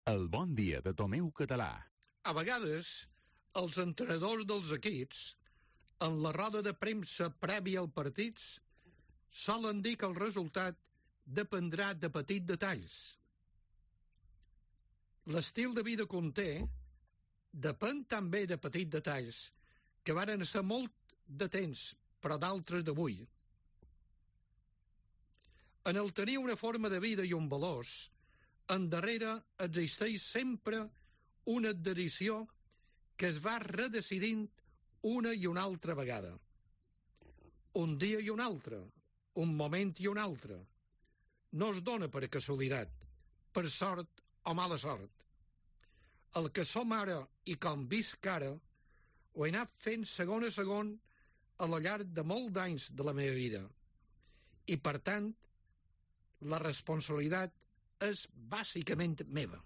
El bon dia de Tomeu Català. A vegades, els entrenadors dels equips, en la roda de premsa prèvia al partits, solen dir que el resultat dependrà de petits detalls. L'estil de vida que un té depèn també de petits detalls que varen ser molt de temps, però d'altres d'avui. En el tenir una forma de vida i un valors, endarrere existeix sempre una adherició que es va redecidint una i una altra vegada. Un dia i un altre, un moment i un altre. No es dona per casualitat, per sort o mala sort. El que som ara i com visc ara, ho he anat fent segon a segon al llarg de molts anys de la meva vida. I, per tant, la responsabilitat és bàsicament meva.